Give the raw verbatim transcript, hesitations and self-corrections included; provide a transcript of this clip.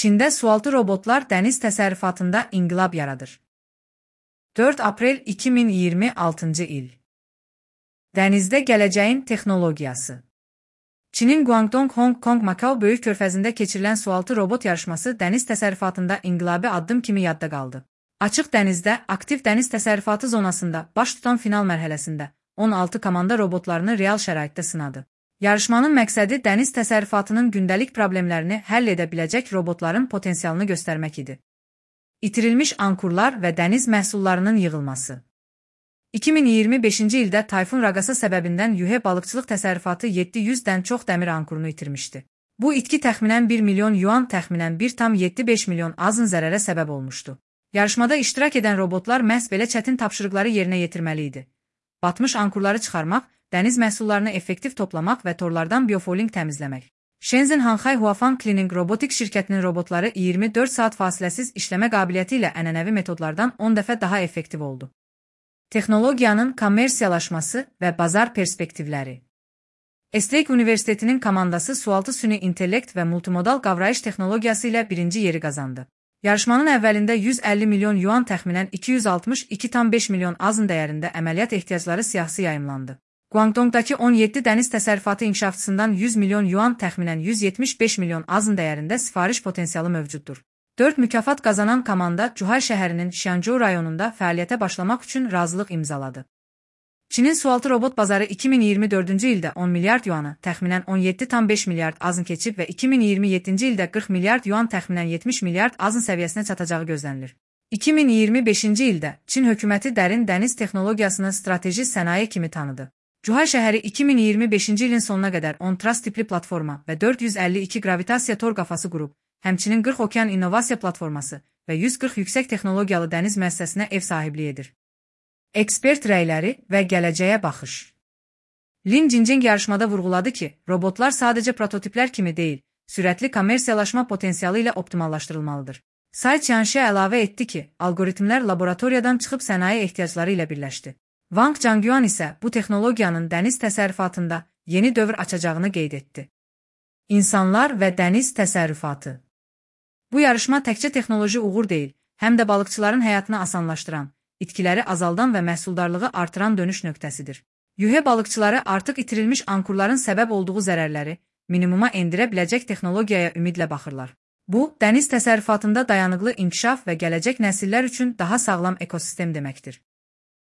Çində sualtı robotlar dəniz təsərrüfatında inqilab yaradır. dörd aprel iki min iyirmi altıncı il. Dənizdə gələcəyin texnologiyası. Çinin Guangdong Hong Kong Makao böyük körfəzində keçirilən sualtı robot yarışması dəniz təsərrüfatında inqilabi addım kimi yadda qaldı. Açıq dənizdə, aktiv dəniz təsərrüfatı zonasında baş tutan final mərhələsində on altı komanda robotlarını real şəraitdə sınadı. Yarışmanın məqsədi dəniz təsərrüfatının gündəlik problemlərini həll edə biləcək robotların potensialını göstərmək idi. İtirilmiş ankurlar və dəniz məhsullarının yığılması. iki min iyirmi beşinci ildə tayfun raqası səbəbindən Yuhe balıqçılıq təsərrüfatı yeddi yüzdən çox dəmir ankurunu itirmişdi. Bu itki təxminən bir milyon yuan, təxminən bir tam yeddi beş milyon azın zərərə səbəb olmuşdu. Yarışmada iştirak edən robotlar məhz belə çətin tapşırıqları yerinə yetirməli idi. Batmış ankurları çıxarmaq, dəniz məhsullarını effektiv toplamaq və torlardan biofoling təmizləmək. Shenzhen Hanxay Huafang Cleaning Robotics şirkətinin robotları iyirmi dörd saat fasiləsiz işləmə qabiliyyəti ilə ənənəvi metodlardan on dəfə daha effektiv oldu. Texnologiyanın kommersiyalaşması və bazar perspektivləri. Estlake Universitetinin komandası sualtı süni intellekt və multimodal qavrayış texnologiyası ilə birinci yeri qazandı. Yarışmanın əvvəlində yüz əlli milyon yuan, təxminən iki yüz altmış iki tam beş milyon azın dəyərində əməliyyat ehtiyacları siyahısı yayımlandı. Guangdongdakı on yeddi dəniz təsərrüfatı inkişafçısından yüz milyon yuan, təxminən yüz yetmiş beş milyon azın dəyərində sifariş potensialı mövcuddur. dörd mükafat qazanan komanda Cuhay şəhərinin Şianzhou rayonunda fəaliyyətə başlamaq üçün razılıq imzaladı. Çinin sualtı robot bazarı iki min iyirmi dördüncü ildə on milyard yuanı, təxminən on yeddi tam beş milyard azın keçib və iki min iyirmi yeddinci ildə qırx milyard yuan, təxminən yetmiş milyard azın səviyyəsinə çatacağı gözlənilir. iki min iyirmi beşinci ildə Çin hökuməti dərin dəniz texnologiyasını strateji sənaye kimi tanıdı. Cuhay şəhəri iki min iyirmi beşinci ilin sonuna qədər on tras tipli platforma və dörd yüz əlli iki gravitasiya tor qafası qurub, həmçinin qırx okean innovasiya platforması və yüz qırx yüksək texnologiyalı dəniz müəssisəsinə ev sahibliyi edir. Ekspert rəyləri və gələcəyə baxış. Lin Jinjing yarışmada vurğuladı ki, robotlar sadəcə prototiplər kimi deyil, sürətli kommersiyalaşma potensialı ilə optimallaşdırılmalıdır. Sai Qianxia əlavə etdi ki, algoritmlər laboratoriyadan çıxıb sənaye ehtiyacları ilə birləşdi. Wang Zhangyuan isə bu texnologiyanın dəniz təsərrüfatında yeni dövr açacağını qeyd etdi. İnsanlar və dəniz təsərrüfatı. Bu yarışma təkcə texnoloji uğur deyil, həm də balıqçıların həyatını asanlaşdıran, itkiləri azaldan və məhsuldarlığı artıran dönüş nöqtəsidir. Yuhe balıqçıları artıq itirilmiş ankurların səbəb olduğu zərərləri minimuma endirə biləcək texnologiyaya ümidlə baxırlar. Bu, dəniz təsərrüfatında dayanıqlı inkişaf və gələcək nəsillər üçün daha sağlam ekosistem deməkdir.